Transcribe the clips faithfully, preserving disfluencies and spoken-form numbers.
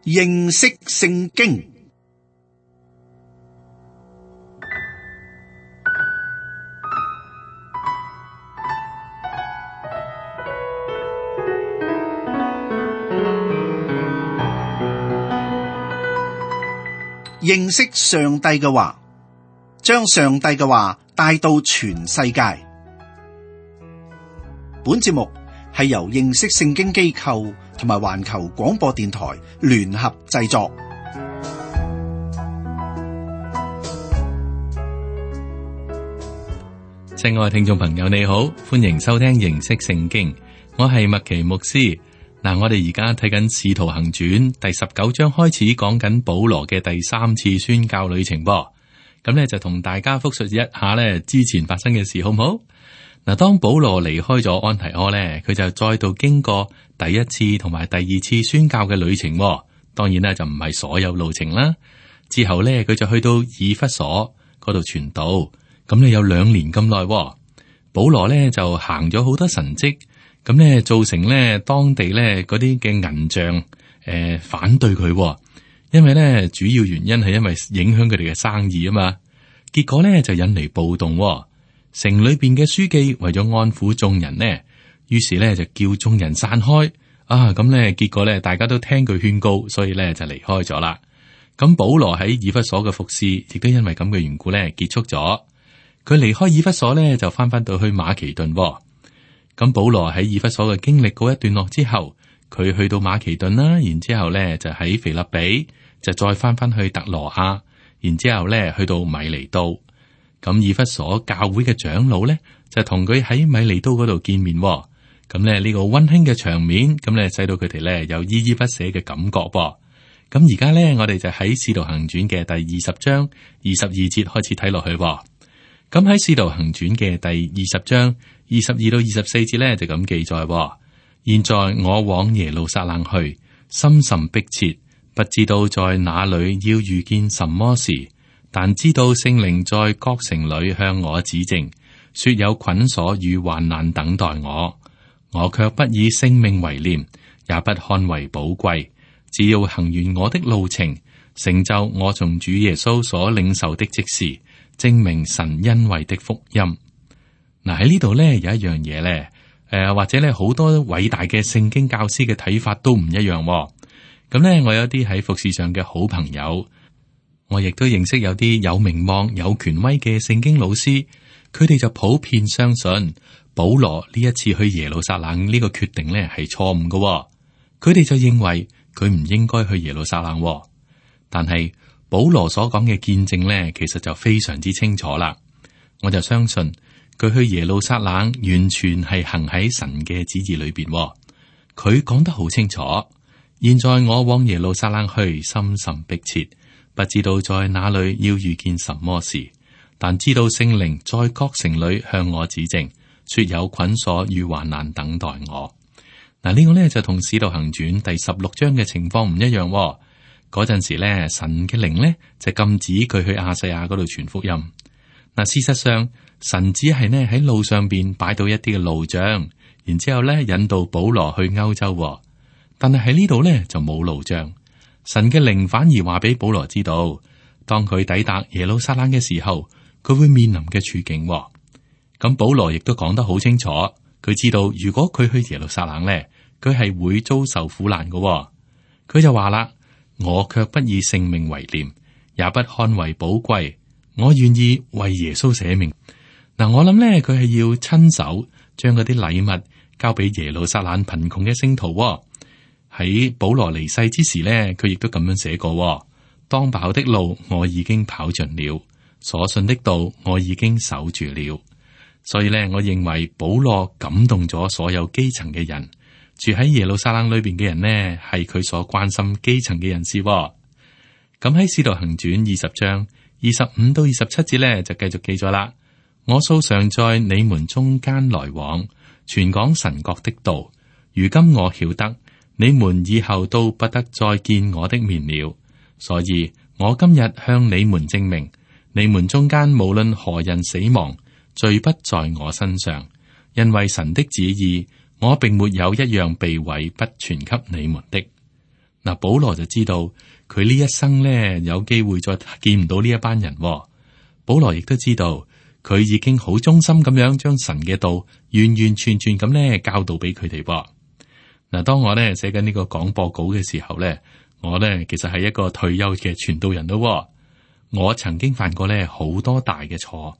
認識聖經。認識上帝嘅話，將上帝嘅話帶到全世界。本節目係由認識聖經機構同埋環球廣播電台聯合製作。親愛聽眾朋友，你好，歡迎收聽認識聖經，我係麥奇牧師。嗱，我哋而家睇緊《使徒行傳》第十九章開始，講緊保羅嘅第三次宣教旅程噃。咁咧就同大家複述一下咧之前發生嘅事，好唔好？嗱，當保羅離開咗安提阿咧，佢就再度經過第一次同埋第二次宣教嘅旅程。當然咧就唔係所有路程啦。之後咧佢就去到以弗所嗰度傳道，咁咧有兩年咁耐。保羅咧就行咗好多神蹟。咁咧造成咧當地咧嗰啲嘅銀匠誒、呃、反對佢，因為咧主要原因係因為影響佢哋嘅生意啊嘛。結果咧就引嚟暴動，城裏邊嘅書記為咗安撫眾人呢，於是咧就叫眾人散開啊。咁咧結果咧大家都聽佢勸告，所以咧就離開咗啦。咁保羅喺以弗所嘅服侍亦都因為咁嘅緣故咧結束咗。佢離開以弗所咧就翻翻到去馬其頓。咁保羅喺以弗所嘅經歷告一段落之後，佢去到馬其頓啦，然之後咧就喺腓立比，就再翻翻去特羅亞，然之後咧去到米尼都。咁以弗所教會嘅長老咧就同佢喺米尼都嗰度見面。咁咧呢個溫馨嘅場面，咁咧使到佢哋咧有依依不捨嘅感覺噃。咁而家咧我哋就喺《使徒行傳》嘅第二十章二十二節開始睇落去。咁喺《使徒行傳》嘅第二十章二十二到二十四節咧就咁記載：現在我往耶路撒冷去，心甚迫切，不知道在哪裏要遇見什麼事，但知道聖靈在各城裏向我指證，說有捆鎖與患難等待我。我卻不以性命為念，也不看為寶貴，只要行完我的路程，成就我從主耶穌所領受的職事，證明神恩惠的福音。嗱，喺呢度咧有一樣嘢咧，誒、呃、或者咧好多偉大嘅聖經教師嘅睇法都唔一樣。咁咧我有啲喺服侍上嘅好朋友，我亦都認識有啲有名望有權威嘅聖經老師，佢哋就普遍相信保羅呢一次去耶路撒冷呢個決定咧係錯誤嘅。佢哋就認為佢唔應該去耶路撒冷，但係保羅所講嘅見證咧，其實就非常之清楚啦。我就相信佢去耶路撒冷完全係行喺神嘅旨意裏邊。佢講得好清楚。現在我往耶路撒冷去，心甚迫切，不知道在哪裏要遇見什麼事，但知道聖靈在各城裏向我指證，說有捆鎖與患難等待我。嗱，呢個呢，就同使徒行傳第十六章嘅情況唔一樣。嗰陣時咧，神嘅靈咧就禁止佢去亞細亞嗰度傳福音。嗱，事實上神只係呢喺路上邊擺到一啲嘅路障，然之後咧引導保羅去歐洲。但係喺呢度咧就冇路障，神嘅靈反而話俾保羅知道，當佢抵達耶路撒冷嘅時候，佢會面臨嘅處境。咁保羅亦都講得好清楚，佢知道如果佢去耶路撒冷咧，佢係會遭受苦難嘅。佢就話啦。我卻不以性命為念，也不看為寶貴。我願意為耶穌捨命。嗱，我諗咧，佢係要親手將嗰啲禮物交俾耶路撒冷貧窮嘅聖徒。喺保羅離世之時咧，佢亦都咁樣寫過：當跑的路我已經跑盡了，所信的道我已經守住了。所以咧，我認為保羅感動咗所有基層嘅人。住喺耶路撒冷裏邊嘅人呢，係佢所關心基層嘅人士。咁喺《使徒行傳》二十章二十五到二十七節呢，就繼續記咗啦。我素常在你們中間來往，傳講神國的道。如今我曉得你們以後都不得再見我的面了，所以我今日向你們證明，你們中間無論何人死亡，罪不在我身上，因為神的旨意。我並沒有一樣避諱不傳給你們的。嗱，保羅就知道佢呢一生呢有機會再見唔到呢一班人。保羅亦都知道佢已經好忠心咁樣將神嘅道完完全全咁呢教導俾佢哋。嗱，當我呢寫緊呢個廣播稿嘅時候呢，我呢其實係一個退休嘅傳道人咯。我曾經犯過呢好多大嘅錯，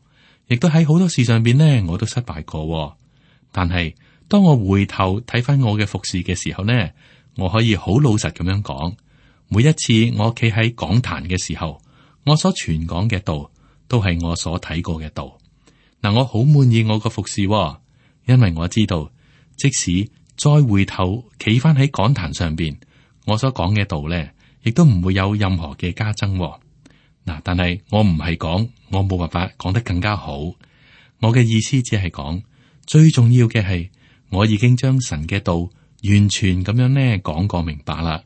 亦都喺好多事上邊呢我都失敗過。但係當我回頭睇翻我嘅服侍嘅時候呢，我可以好老實咁樣講，每一次我企喺講壇嘅時候，我所傳講嘅道都係我所睇過嘅道。嗱，我好滿意我個服侍，因為我知道即使再回頭企翻喺講壇上邊，我所講嘅道咧，亦都唔會有任何嘅加增。嗱，但係我唔係講我冇辦法講得更加好，我嘅意思只係講最重要嘅係我已經將神嘅道完全咁樣咧講過明白啦。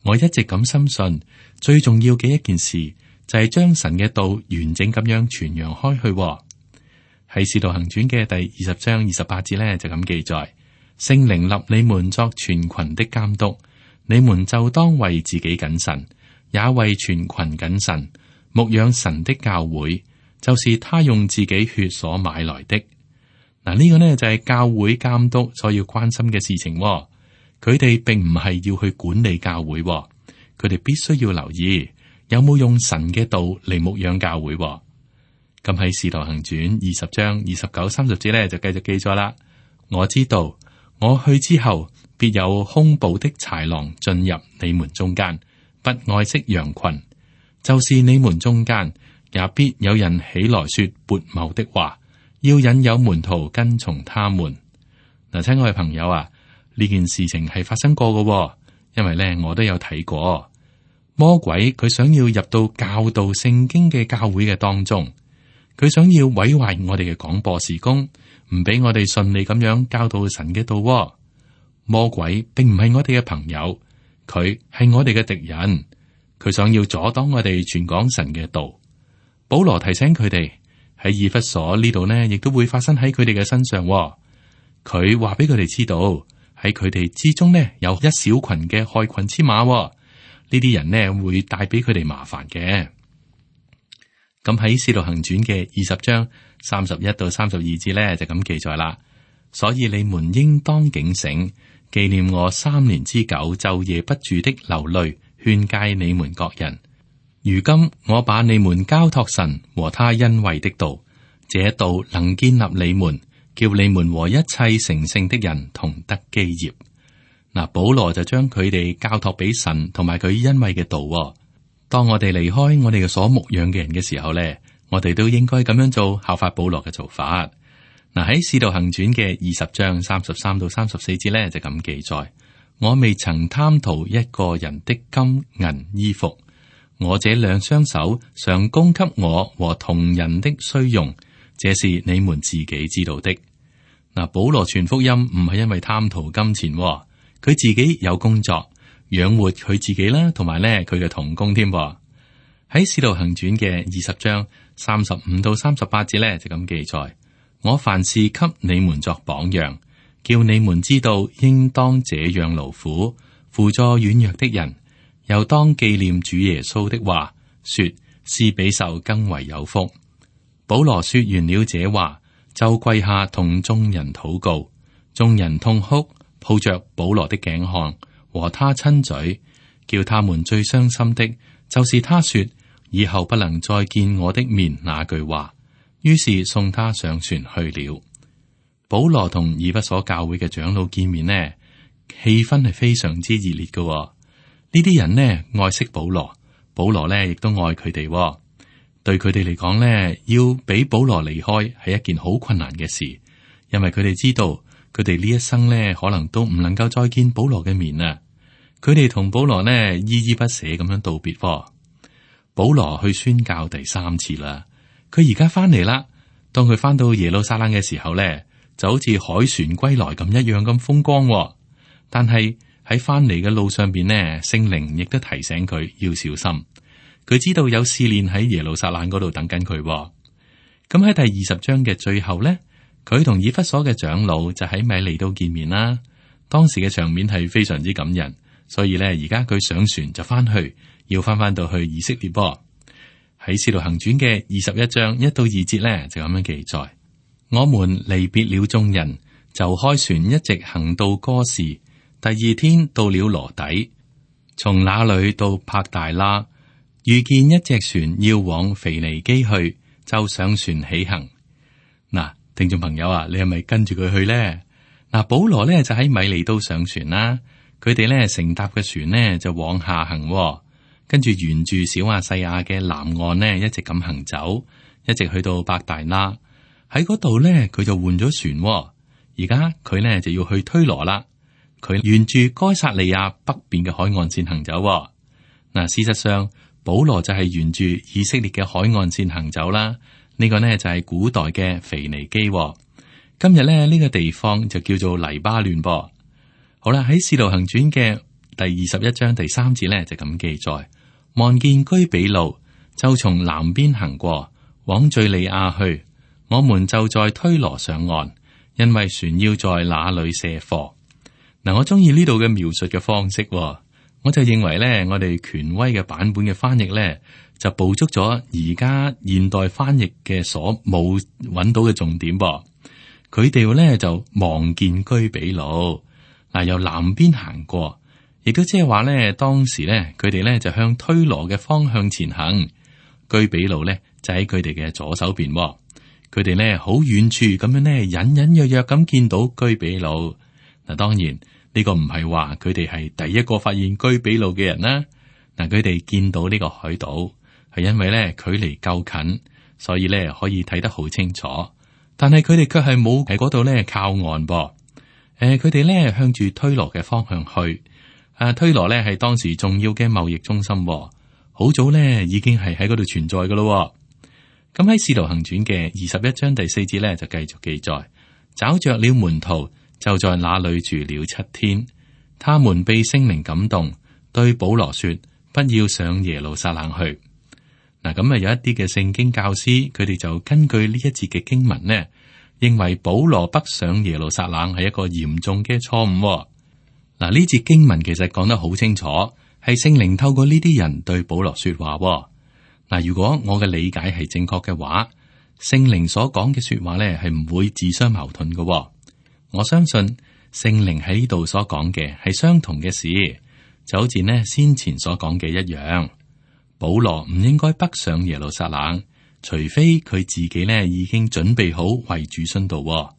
我一直咁深信，最重要嘅一件事就係將神嘅道完整咁樣傳揚開去。喺《使徒行傳》嘅第二十章二十八節咧就咁記載：聖靈立你們作全群的監督，你們就當為自己謹慎，也為全群謹慎，牧養神的教會，就是他用自己血所買來的。嗱，呢個呢就係教會監督所要關心嘅事情。佢哋並唔係要去管理教會，佢哋必須要留意有冇用神嘅道嚟牧養教會。咁喺《使徒行傳》二十章二十九、三十節咧就繼續記載啦。我知道我去之後，必有凶暴的豺狼進入你們中間，不愛惜羊群。就是你們中間也必有人起來說悖謬的話，要引誘門徒跟從他們。嗱，親愛嘅朋友啊，呢件事情係發生過嘅，因為咧我都有睇過。魔鬼佢想要入到教導聖經嘅教會嘅當中，佢想要毀壞我哋嘅廣播事工，唔俾我哋順利咁樣教導神嘅道。魔鬼並唔係我哋嘅朋友，佢係我哋嘅敵人，佢想要阻擋我哋傳講神嘅道。保羅提醒佢哋喺以弗所呢度呢，亦都會發生喺佢哋嘅身上。佢話俾佢哋知道，喺佢哋之中呢，有一小群嘅害群之馬，呢啲人呢會帶俾佢哋麻煩嘅。咁喺《使徒行傳》嘅二十章三十一到三十二節呢，就咁記載啦。所以你們應當警醒，紀念我三年之久晝夜不住的流淚，勸誡你們各人。如今我把你們交託神和他恩惠的道，這道能建立你們，叫你們和一切成聖的人同得基業。嗱，保羅就將佢哋交託俾神同埋佢恩惠嘅道。當我哋離開我哋嘅所牧養嘅人嘅時候咧，我哋都應該咁樣做，效法保羅嘅做法。嗱，喺《使徒行傳》嘅二十章三十三到三十四節咧就咁記載：我未曾貪圖一個人的金銀衣服，我這兩雙手常供給我和同人的需用，這是你們自己知道的。嗱，保羅傳福音唔係因為貪圖金錢，佢自己有工作養活佢自己啦，同埋咧佢嘅同工添。喺《使徒行傳》嘅二十章三十五到三十八節咧就咁記載：我凡事給你們作榜樣，叫你們知道應當這樣勞苦，輔助軟弱的人，又當紀念主耶穌的話，說是比受更為有福。保羅說完了這話，就跪下同眾人禱告，眾人痛哭，抱着保羅的頸項和他親嘴，叫他們最傷心的，就是他說以後不能再見我的面那句話。於是送他上船去了。保羅同以弗所教會嘅長老見面呢，氣氛係非常之熱烈嘅。呢啲人呢愛惜保羅，保羅呢亦都愛佢哋。對佢哋嚟講呢，要俾保羅離開係一件好困難嘅事，因為佢哋知道佢哋呢一生呢可能都唔能夠再見保羅嘅面啊。佢哋同保羅呢依依不捨咁樣道別。保羅去宣教第三次啦。佢而家翻嚟啦。當佢翻到耶路撒冷嘅時候咧，就好似海船歸來咁一樣咁風光。但係喺翻嚟嘅路上邊呢，聖靈亦都提醒佢要小心。佢知道有試煉喺耶路撒冷嗰度等緊佢。咁喺第二十章嘅最後咧，佢同以弗所嘅長老就喺米利都見面啦。當時嘅場面係非常之感人，所以咧而家佢上船就翻去，要翻翻到去以色列噃。喺《使徒行傳》嘅二十一章一到二節咧就咁樣記載：我們離別了眾人，就開船一直行到哥士，第二天到了羅底，從那裏到帕大拉，遇見一隻船要往腓尼基去，就上船起行。嗱，聽眾朋友啊，你係咪跟住佢去呢？嗱，保羅咧就喺米利都上船啦，佢哋咧乘搭嘅船呢就往下行，跟住沿住小亞細亞嘅南岸呢一直咁行走，一直去到伯大拉。喺嗰度咧佢就換咗船，而家佢呢就要去推羅啦。佢沿住該撒利亞北邊嘅海岸線行走。嗱，事實上保羅就係沿住以色列嘅海岸線行走啦。呢個呢就係古代嘅腓尼基。今日咧呢個地方就叫做黎巴嫩噃。好啦，喺《使徒行傳》嘅第二十一章第三節咧就咁記載：望見居比路，就從南邊行過，往敘利亞去。我們就在推羅上岸，因為船要在那裏卸貨。嗱，我中意呢度嘅描述嘅方式，我就認為咧，我哋權威嘅版本嘅翻譯咧，就捕捉咗而家現代翻譯嘅所冇揾到嘅重點噃。佢哋咧就望見居比路，嗱，由南邊行過，亦都即係話咧，當時咧佢哋咧就向推羅嘅方向前行，居比路咧就喺佢哋嘅左手邊。佢哋咧好遠處咁樣咧，隱隱約約咁見到居比路。嗱，當然呢個唔係話佢哋係第一個發現居比路嘅人啦。嗱，佢哋見到呢個海島係因為咧距離夠近，所以咧可以睇得好清楚。但係佢哋卻係冇喺嗰度咧靠岸噃。誒、呃，佢哋咧向住推羅嘅方向去。啊，推羅咧係當時重要嘅貿易中心，好早咧已經係喺嗰度存在噶咯。咁喺《使徒行傳》嘅二十一章第四節咧就繼續記載：找着了門徒，就在那裏住了七天。他們被聖靈感動，對保羅說：不要上耶路撒冷去。嗱，咁啊有一啲嘅聖經教師，佢哋就根據呢一節嘅經文呢，認為保羅北上耶路撒冷係一個嚴重嘅錯誤。嗱，呢節經文其實講得好清楚，係聖靈透過呢啲人對保羅說話。嗱，如果我嘅理解係正確嘅話，聖靈所講嘅說話咧係唔會自相矛盾嘅。我相信聖靈喺呢度所講嘅係相同嘅事，就好似呢先前所講嘅一樣。保羅唔應該北上耶路撒冷，除非佢自己呢已經準備好為主殉道。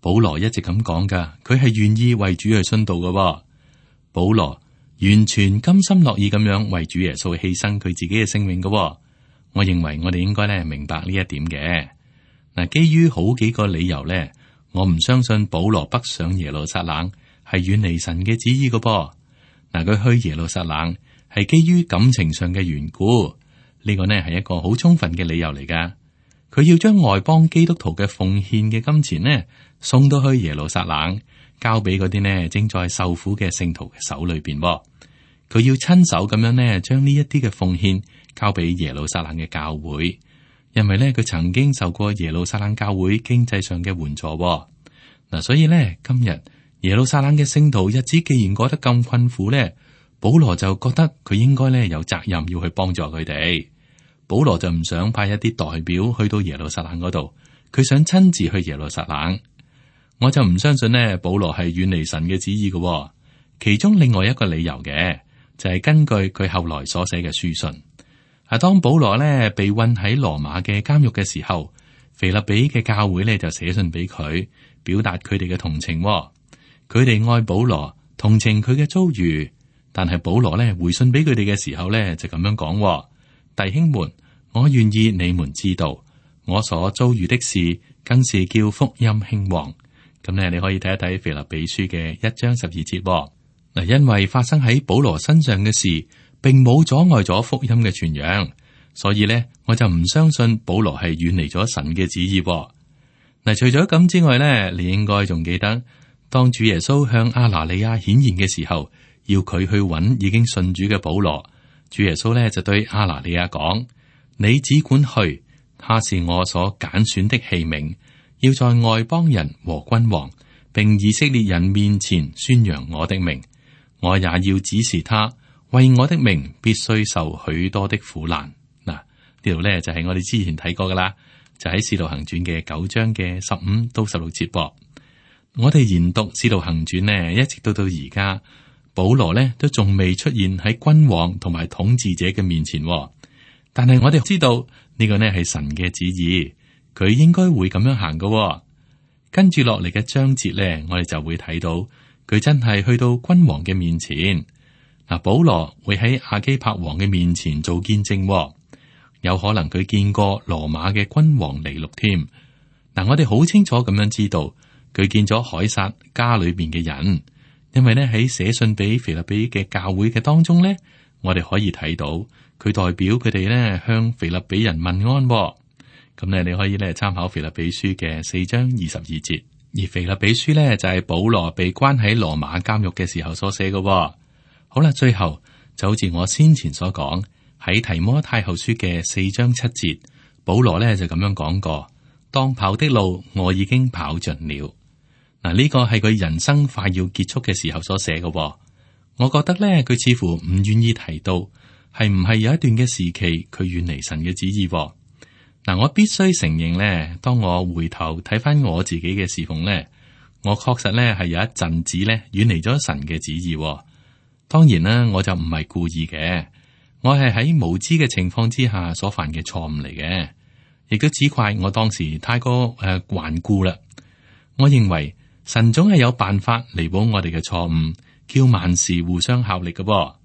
保羅一直咁講噶，佢係願意為主去殉道嘅。保羅完全甘心樂意咁樣為主耶穌犧牲佢自己嘅性命嘅。我認為我哋應該咧明白呢一點嘅。嗱，基於好幾個理由咧，我唔相信保羅北上耶路撒冷係遠離神嘅旨意嘅噃。嗱，佢去耶路撒冷係基於感情上嘅緣故，呢個呢係一個好充分嘅理由嚟噶。佢要將外邦基督徒嘅奉獻嘅金錢呢送到去耶路撒冷，交俾嗰啲呢正在受苦嘅聖徒嘅手裏邊。佢要親手咁樣呢將呢一啲嘅奉獻交俾耶路撒冷嘅教會，因為呢佢曾經受過耶路撒冷教會經濟上嘅援助。嗱，所以呢今日耶路撒冷嘅聖徒日子既然過得咁困苦呢，保羅就覺得佢應該呢有責任要去幫助佢哋。保羅就唔想派一啲代表去到耶路撒冷嗰度，佢想親自去耶路撒冷。我就唔相信呢保羅係遠離神嘅旨意嘅。其中另外一個理由嘅就係根據佢後來所寫嘅書信。啊，當保羅呢被困喺羅馬嘅監獄嘅時候，腓立比嘅教會呢就寫信俾佢，表達佢哋嘅同情。佢哋愛保羅，同情佢嘅遭遇，但係保羅呢回信俾佢哋嘅時候呢就咁樣講：弟兄們，我願意你們知道，我所遭遇的事，更是叫福音興旺。咁呢，你可以睇一睇腓立比書嘅一章十二節。嗱，因為發生喺保羅身上嘅事，並冇阻礙咗福音嘅傳揚，所以呢，我就唔相信保羅係遠離咗神嘅旨意。嗱，除咗咁之外呢，你應該仲記得，當主耶穌向亞拿尼亞顯現嘅時候，要佢去揾已經信主嘅保羅，主耶穌呢就對亞拿尼亞講：你只管去，他是我所揀選的器皿，要在外邦人和君王並以色列人面前宣揚我的名。我也要指示他，為我的名必須受許多的苦難。嗱，呢度咧就係我哋之前睇過噶啦，就喺《使徒行傳》嘅九章嘅十五到十六節噃。我哋研讀《使徒行傳》呢，一直到到而家，保羅呢都仲未出現喺君王同埋統治者嘅面前。但係我哋知道呢個呢係神嘅旨意，佢應該會咁樣行噶。跟住落嚟嘅章節呢，我哋就會睇到佢真係去到君王嘅面前。嗱，保羅會喺亞基帕王嘅面前做見證，有可能佢見過羅馬嘅君王尼祿添。嗱，我哋好清楚咁樣知道佢見咗凱撒家裏邊嘅人，因為呢喺寫信俾腓立比嘅教會嘅當中呢，我哋可以睇到佢代表佢哋呢向腓立比人問安。咁咧，你可以咧參考腓立比書嘅四章二十二節，而腓立比書呢，就係保羅被關喺羅馬監獄嘅時候所寫嘅。好啦，最後就好似我先前所講，喺提摩太後書嘅四章七節，保羅呢就咁樣講過：當跑的路我已經跑盡了。嗱，呢個係佢人生快要結束嘅時候所寫嘅。我覺得呢，佢似乎唔願意提到係唔係有一段嘅時期佢遠離神嘅旨意。嗱，我必須承認咧，當我回頭睇翻我自己嘅侍奉咧，我確實咧係有一陣子咧遠離咗神嘅旨意。當然啦，我就唔係故意嘅，我係喺無知嘅情況之下所犯嘅錯誤嚟嘅，亦都只怪我當時太過誒頑固啦。我認為神總係有辦法彌補我哋嘅錯誤，叫萬事互相效力嘅噃。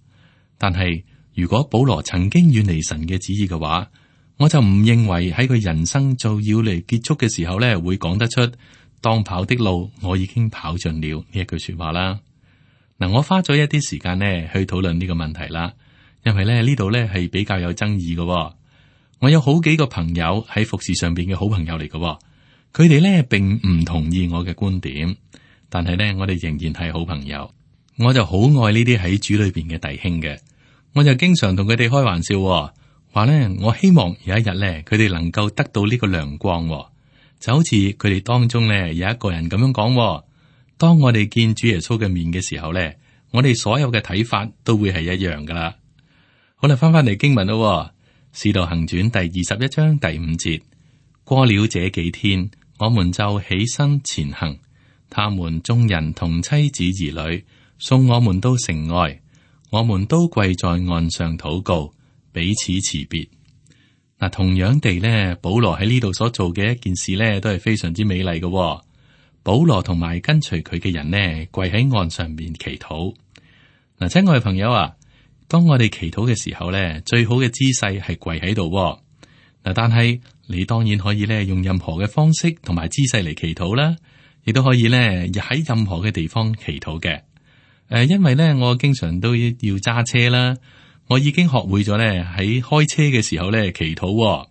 但係如果保羅曾經遠離神嘅旨意嘅話，我就唔認為喺佢人生就要嚟結束嘅時候咧，會講得出當跑的路我已經跑盡了呢一句說話啦。嗱，我花咗一啲時間咧去討論呢個問題啦，因為咧呢度咧係比較有爭議嘅。我有好幾個朋友喺服侍上邊嘅好朋友嚟嘅，佢哋咧並唔同意我嘅觀點，但係咧我哋仍然係好朋友。我就好愛呢啲喺主裏邊嘅弟兄嘅，我就經常同佢哋開玩笑。話咧，我希望有一日咧，佢哋能夠得到呢個亮光，就好似佢哋當中咧有一個人咁樣講：當我哋見主耶穌嘅面嘅時候咧，我哋所有嘅睇法都會係一樣噶啦。好啦，翻翻嚟經文咯，《使徒行傳》第二十一章第五節：過了這幾天，我們就起身前行，他們眾人同妻子兒女送我們到城外，我們都跪在岸上禱告。彼此辭別。嗱，同樣地咧，保羅喺呢度所做嘅一件事咧，都係非常之美麗嘅。保羅同埋跟隨佢嘅人呢，跪喺岸上面祈禱。嗱，親愛嘅朋友啊，當我哋祈禱嘅時候咧，最好嘅姿勢係跪喺度。嗱，但係你當然可以咧用任何嘅方式同埋姿勢嚟祈禱啦，亦都可以咧喺任何嘅地方祈禱嘅。誒，因為咧我經常都要揸車啦。我已經學會咗咧喺開車嘅時候咧祈禱。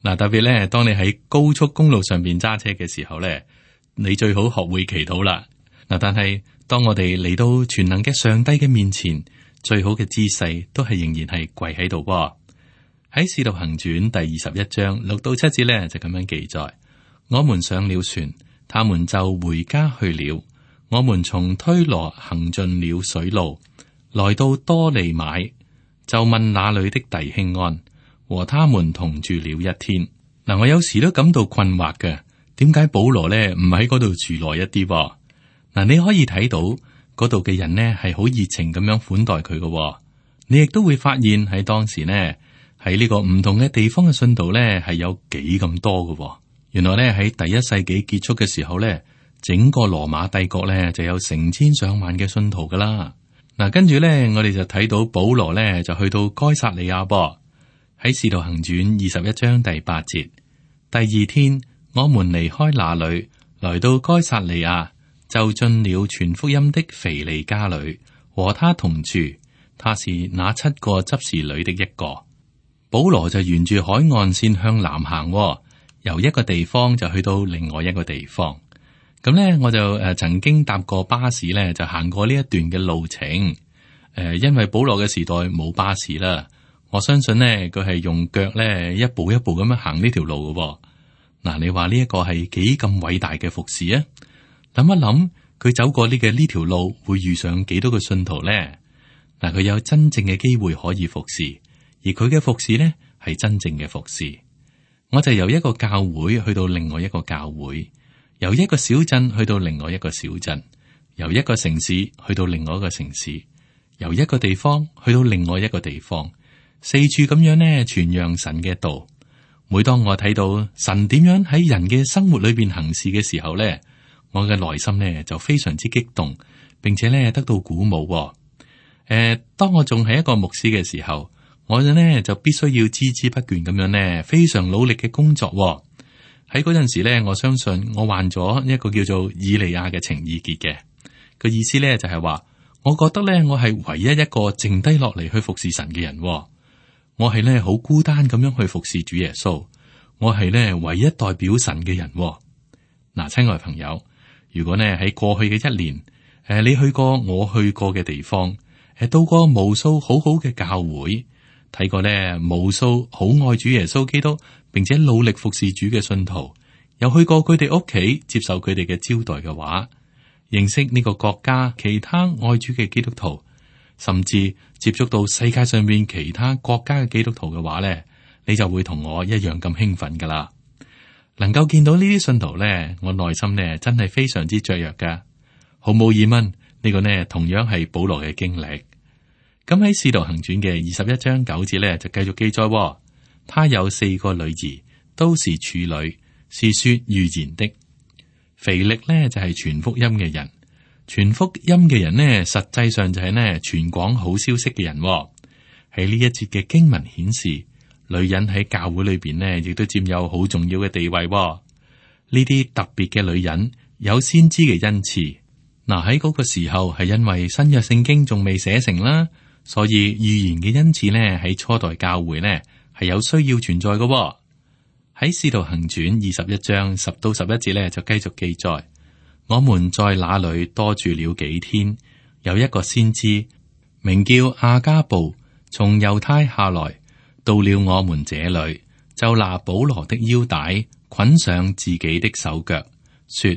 嗱，特別咧當你喺高速公路上邊揸車嘅時候咧，你最好學會祈禱啦。嗱，但係當我哋嚟到全能嘅上帝嘅面前，最好嘅姿勢都係仍然係跪喺度。喺使徒行傳第二十一章六到七節咧就咁樣記載：我們上了船，他們就回家去了。我們從推羅行盡了水路，來到多利買。就問那裏的弟兄安，和他們同住了一天。嗱，我有時都感到困惑嘅，點解保羅咧唔喺嗰度住耐一啲？嗱，你可以睇到嗰度嘅人呢係好熱情咁樣款待佢嘅。你亦都會發現喺當時呢，喺呢個唔同嘅地方嘅信徒咧係有幾咁多嘅。原來咧喺第一世紀結束嘅時候咧，整個羅馬帝國咧就有成千上萬嘅信徒噶啦。嗱，跟住咧，我哋就睇到保羅咧就去到該撒利亞噃。喺《使徒行傳》二十一章第八節，第二天我們離開那裏，來到該撒利亞，就進了傳福音的腓利家裏，和他同住。他是那七個執事裏的一個。保羅就沿住海岸線向南行，由一個地方就去到另外一個地方。咁咧，我就誒曾經搭過巴士咧，就行過呢一段嘅路程。誒，因為保羅嘅時代冇巴士啦，我相信呢，佢係用腳咧一步一步咁樣行呢條路嘅。嗱，你話呢一個係幾咁偉大嘅服侍啊？諗一諗，佢走過呢嘅呢條路會遇上幾多個信徒呢？嗱，佢有真正嘅機會可以服侍，而佢嘅服侍呢係真正嘅服侍。我就由一個教會去到另外一個教會，由一個小鎮去到另外一個小鎮，由一個城市去到另外一個城市，由一個地方去到另外一個地方，四處咁樣呢傳揚神嘅道。每當我睇到神點樣喺人嘅生活裏邊行事嘅時候呢，我嘅內心呢就非常之激動，並且呢得到鼓舞。誒、呃，當我仲係一個牧師嘅時候，我呢就必須要孜孜不倦咁樣呢，非常努力嘅工作。喺嗰陣時呢，我相信我患咗一個叫做以利亞嘅情意結嘅，個意思呢就係話，我覺得呢，我係唯一一個剩低落嚟去服侍神嘅人。我係咧好孤單咁樣去服侍主耶穌，我係咧唯一代表神嘅人。嗱，親愛朋友，如果呢喺過去嘅一年，誒，你去過我去過嘅地方，誒，到過無數好好嘅教會，睇過呢無數好愛主耶穌基督，並且努力服侍主嘅信徒，又去過佢哋屋企接受佢哋嘅招待嘅話，認識呢個國家其他愛主嘅基督徒，甚至接觸到世界上面其他國家嘅基督徒嘅話咧，你就會同我一樣咁興奮噶啦。能夠見到呢啲信徒咧，我內心咧真係非常之雀躍噶。毫無疑問，呢個呢同樣係保羅嘅經歷。咁喺《使徒行傳》嘅二十一章九節咧，就繼續記載，他有四個女兒，都是處女，是說預言的。腓力呢就係傳福音嘅人。傳福音嘅人呢，實際上就係呢傳講好消息嘅人。喺呢一節嘅經文顯示，女人喺教會裏邊呢，亦都佔有好重要嘅地位。呢啲特別嘅女人有先知嘅恩賜。嗱，喺嗰個時候係因為新約聖經仲未寫成啦，所以預言嘅恩賜呢喺初代教會呢係有需要存在嘅。喺使徒行傳二十一章十到十一節呢，就繼續記載。我們在那裏多住了幾天，有一個先知名叫亞加布，從猶太下來，到了我們這裏，就拿保羅的腰帶捆上自己的手腳，說：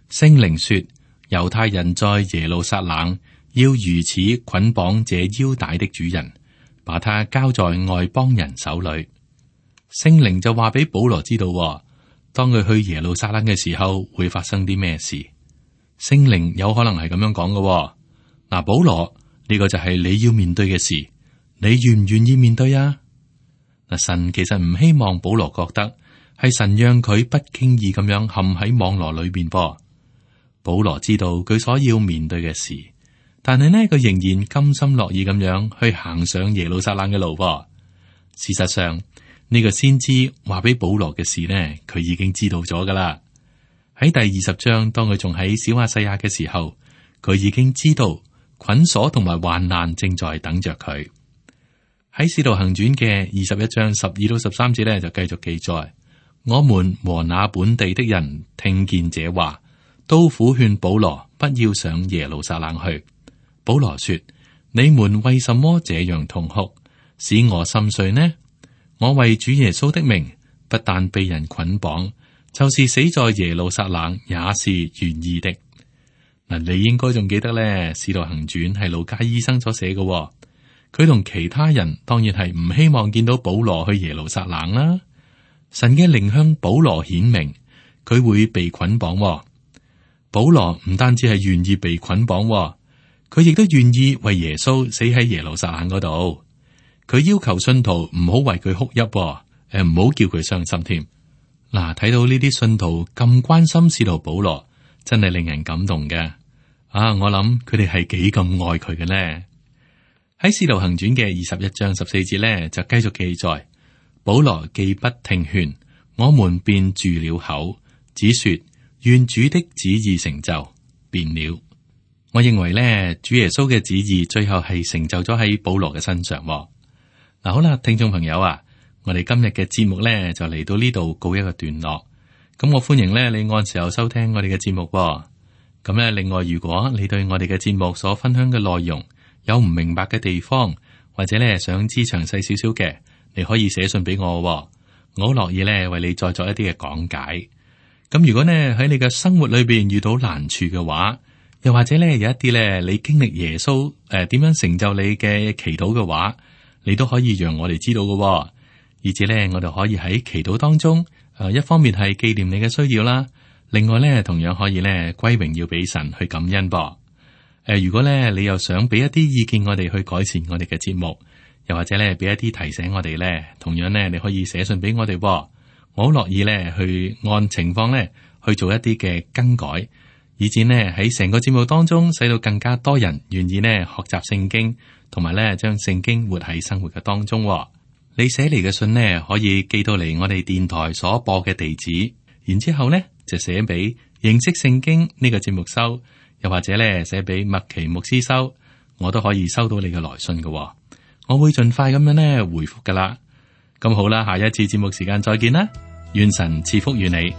聖靈說，猶太人在耶路撒冷要如此捆綁這腰帶的主人，把他交在外邦人手裏。聖靈就話俾保羅知道，當佢去耶路撒冷嘅時候會發生啲咩事。聖靈有可能係咁樣講嘅。嗱，保羅，呢個就係你要面對嘅事，你願唔願意面對啊？嗱，神其實唔希望保羅覺得係神讓佢不經意咁樣陷喺網羅裏邊噃。保羅知道佢所要面對嘅事，但係呢，佢仍然甘心樂意咁樣去行上耶路撒冷嘅路噃。事實上，呢個先知話俾保羅嘅事呢，佢已經知道咗噶啦。喺第二十章，當佢仲喺小亞細亞嘅時候，佢已經知道捆鎖同埋患難正在等着佢。喺使徒行傳嘅二十一章十二到十三節呢，就繼續記載：我們和那本地的人聽見這話，都苦勸保羅不要上耶路撒冷去。保羅說：你們為什麼這樣痛哭，使我心碎呢？我為主耶穌的名，不但被人捆綁，就是死在耶路撒冷也是願意的。嗱，你應該仲記得咧，《使徒行傳》係路加醫生所寫嘅。佢同其他人當然係唔希望見到保羅去耶路撒冷啦。神嘅靈向保羅顯明，佢會被捆綁。保羅唔單止係願意被捆綁，佢亦都願意為耶穌死喺耶路撒冷嗰度。佢要求信徒唔好為佢哭泣，誒，唔好叫佢傷心添。嗱，睇到呢啲信徒咁關心使徒保羅，真係令人感動嘅。啊，我諗佢哋係幾咁愛佢嘅呢？喺使徒行傳嘅二十一章十四節呢，就繼續記載：保羅既不聽勸，我們便住了口，只說願主的旨意成就，便了。我認為呢，主耶穌嘅旨意最後係成就咗喺保羅嘅身上。嗱，好啦，聽眾朋友啊。我哋今日嘅節目咧就嚟到呢度告一個段落，咁我歡迎咧你按時候收聽我哋嘅節目。咁咧，另外如果你對我哋嘅節目所分享嘅內容有唔明白嘅地方，或者咧想知詳細少少嘅，你可以寫信俾我，我好樂意咧為你再作一啲嘅講解。咁如果呢喺你嘅生活裏邊遇到難處嘅話，又或者咧有一啲咧你經歷耶穌誒點樣成就你嘅祈禱嘅話，你都可以讓我哋知道嘅、哦，以至咧我哋可以喺祈禱當中誒、呃、一方面係紀念你嘅需要啦，另外咧同樣可以咧歸榮要俾神去感恩噃。誒、呃，如果咧你又想俾一啲意見我哋去改善我哋嘅節目，又或者咧俾一啲提醒我哋咧，同樣咧你可以寫信俾我哋、哦，我好樂意咧去按情況咧去做一啲嘅更改。以至呢喺成個節目當中，使到更加多人願意呢學習聖經，同埋呢將聖經活喺生活嘅當中。你寫嚟嘅信呢，可以寄到嚟我哋電台所播嘅地址，然之後呢就寫俾認識聖經呢個節目收，又或者呢寫俾麥奇牧師收，我都可以收到你嘅來信嘅。我會盡快咁樣呢回覆噶啦。咁好啦，下一次節目時間再見啦，願神賜福於你。